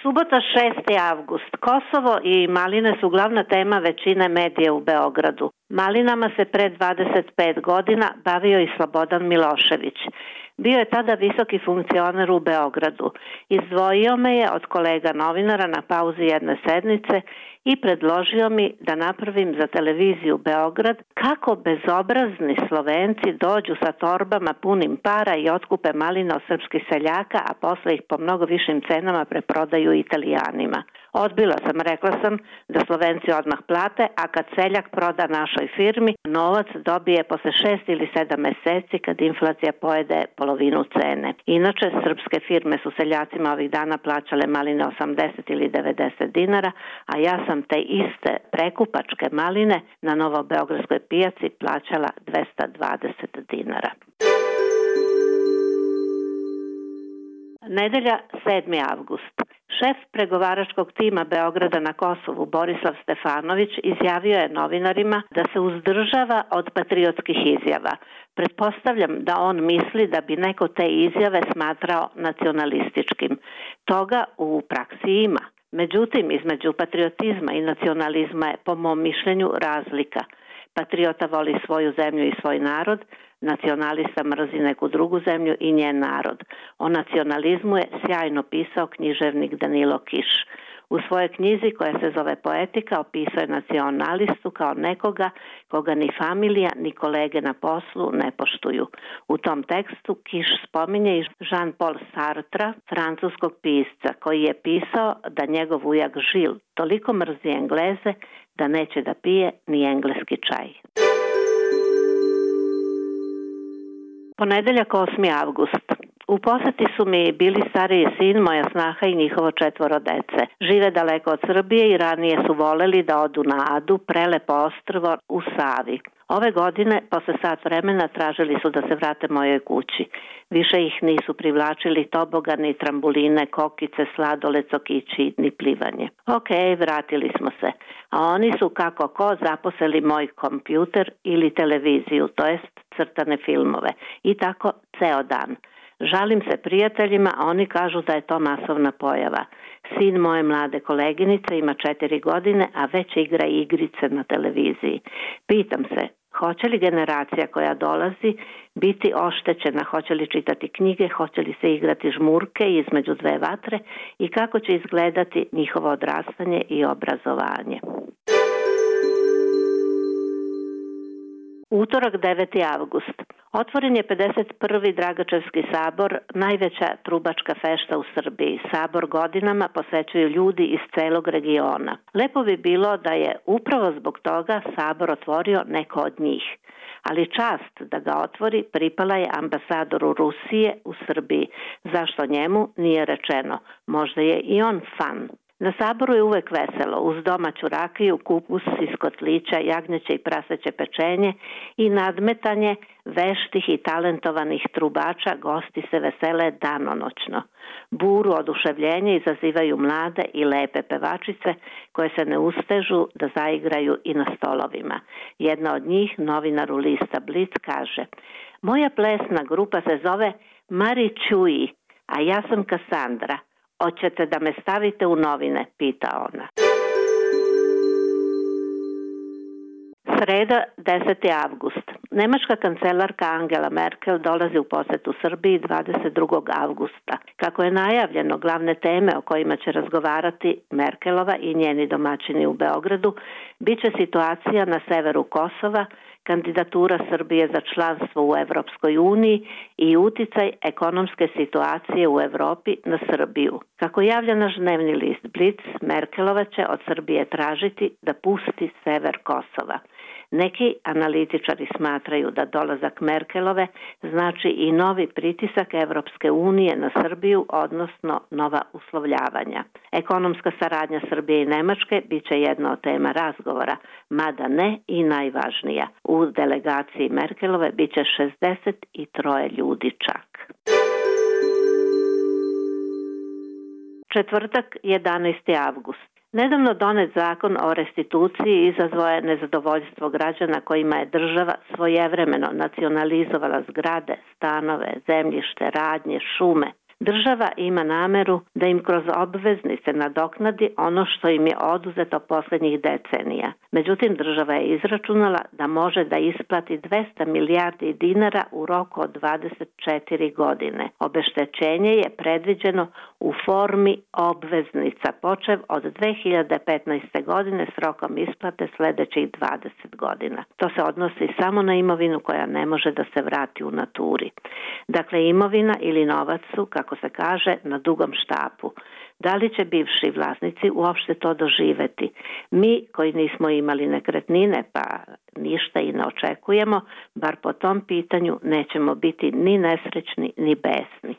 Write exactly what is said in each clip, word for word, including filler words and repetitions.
Subota šesti avgust. Kosovo i maline su glavna tema većine medija u Beogradu. Malinama se pre dvadeset pet godina bavio i Slobodan Milošević. Bio je tada visoki funkcioner u Beogradu. Izdvojio me je od kolega novinara na pauzi jedne sednice i predložio mi da napravim za televiziju Beograd kako bezobrazni Slovenci dođu sa torbama punim para i otkupe maline od srpskih seljaka, a posle ih po mnogo višim cenama preprodaju Italijanima. Odbila sam, rekla sam da Slovenci odmah plate, a kad seljak proda našoj firmi, novac dobije posle šest ili sedam meseci kad inflacija pojede polovinu cene. Inače, srpske firme su seljacima ovih dana plaćale maline osamdeset ili devedeset dinara, a ja sam te iste prekupačke maline na novobeogradskoj pijaci plaćala dvesta dvadeset dinara. Nedelja, sedmi avgust. Šef pregovaračkog tima Beograda na Kosovu, Borislav Stefanović, izjavio je novinarima da se uzdržava od patriotskih izjava. Pretpostavljam da on misli da bi neko te izjave smatrao nacionalističkim. Toga u praksi ima. Međutim, između patriotizma i nacionalizma je, po mom mišljenju, razlika. Patriota voli svoju zemlju i svoj narod, nacionalista mrzi neku drugu zemlju i njen narod. O nacionalizmu je sjajno pisao književnik Danilo Kiš. U svojoj knjizi koja se zove Poetika opisao je nacionalistu kao nekoga koga ni familija ni kolege na poslu ne poštuju. U tom tekstu Kiš spominje i Jean-Paul Sartra, francuskog pisca, koji je pisao da njegov ujak Žil toliko mrzi Engleze da neće da pije ni engleski čaj. Ponedeljak, osmi avgust. U poseti su mi bili stariji sin, moja snaha i njihovo četvoro dece. Žive daleko od Srbije i ranije su voleli da odu na Adu, prelepo ostrvo u Savi. Ove godine, posle sat vremena, tražili su da se vrate mojoj kući. Više ih nisu privlačili tobogani, trambuline, kokice, sladoled, sokići, ni plivanje. Ok, vratili smo se. A oni su kako ko zaposeli moj kompjuter ili televiziju, to jest crtane filmove. I tako ceo dan. Žalim se prijateljima, a oni kažu da je to masovna pojava. Sin moje mlade koleginice ima četiri godine, a već igra igrice na televiziji. Pitam se, hoće li generacija koja dolazi biti oštećena, hoće li čitati knjige, hoće li se igrati žmurke između dve vatre i kako će izgledati njihovo odrastanje i obrazovanje. Utorak, deveti avgust. Otvoren je pedeset prvi Dragačevski sabor, najveća trubačka fešta u Srbiji. Sabor godinama posećuju ljudi iz celog regiona. Lepo bi bilo da je upravo zbog toga sabor otvorio neko od njih. Ali čast da ga otvori pripala je ambasadoru Rusije u Srbiji. Zašto njemu nije rečeno? Možda je i on fan. Na saboru je uvek veselo, uz domaću rakiju, kupus iz kotlića, jagnjeće i praseće pečenje i nadmetanje veštih i talentovanih trubača, gosti se vesele danonoćno. Buru oduševljenja izazivaju mlade i lepe pevačice koje se ne ustežu da zaigraju i na stolovima. Jedna od njih, novinaru lista Blic, kaže: moja plesna grupa se zove Mari Čuji, a ja sam Kasandra. Hoćete da me stavite u novine, pita ona. Sreda, deseti avgust. Nemačka kancelarka Angela Merkel dolazi u posetu Srbiji dvadeset drugog avgusta. Kako je najavljeno, glavne teme o kojima će razgovarati Merkelova i njeni domaćini u Beogradu biće situacija na severu Kosova, kandidatura Srbije za članstvo u Evropskoj uniji i uticaj ekonomske situacije u Evropi na Srbiju. Kako javlja naš dnevni list Blic, Merkelova će od Srbije tražiti da pusti sever Kosova. Neki analitičari smatraju da dolazak Merkelove znači i novi pritisak Evropske unije na Srbiju, odnosno nova uslovljavanja. Ekonomska saradnja Srbije i Nemačke biće jedna od tema razgovora, mada ne i najvažnija. U delegaciji Merkelove biće šezdeset tri ljudi čak. Četvrtak, jedanaesti avgust. Nedavno donet zakon o restituciji izazvao je nezadovoljstvo građana kojima je država svojevremeno nacionalizovala zgrade, stanove, zemljište, radnje, šume. Država ima nameru da im kroz obveznice nadoknadi ono što im je oduzeto poslednjih decenija. Međutim, država je izračunala da može da isplati dvesta milijardi dinara u roku od dvadeset četiri godine. Obeštećenje je predviđeno u formi obveznica, počev od dve hiljade petnaeste. godine s rokom isplate sledećih dvadeset godina. To se odnosi samo na imovinu koja ne može da se vrati u naturi. Dakle, imovina ili novac su, kako se kaže, na dugom štapu. Da li će bivši vlasnici uopšte to doživeti? Mi koji nismo imali nekretnine, pa ništa i ne očekujemo, bar po tom pitanju nećemo biti ni nesrećni ni besni.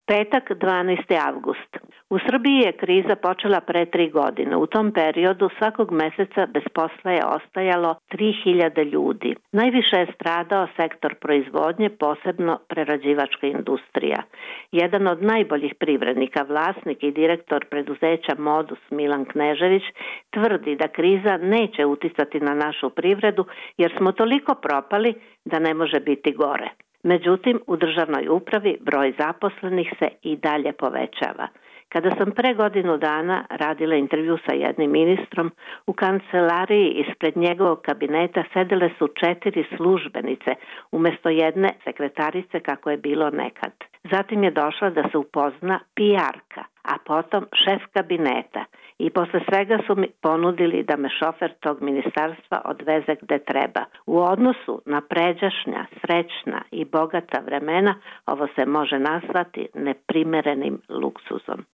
Petak, dvanaesti avgust. U Srbiji je kriza počela pre tri godine. U tom periodu svakog meseca bez posla je ostajalo tri hiljade ljudi. Najviše je stradao sektor proizvodnje, posebno prerađivačka industrija. Jedan od najboljih privrednika, vlasnik i direktor preduzeća Modus Milan Knežević, tvrdi da kriza neće uticati na našu privredu jer smo toliko propali da ne može biti gore. Međutim, u državnoj upravi broj zaposlenih se i dalje povećava. Kada sam pre godinu dana radila intervju sa jednim ministrom, u kancelariji ispred njegovog kabineta sedele su četiri službenice umjesto jedne sekretarice kako je bilo nekad. Zatim je došla da se upozna P R-ka, a potom šef kabineta i posle svega su mi ponudili da me šofer tog ministarstva odveze gde treba. U odnosu na pređašnja, srećna i bogata vremena ovo se može nazvati neprimerenim luksuzom.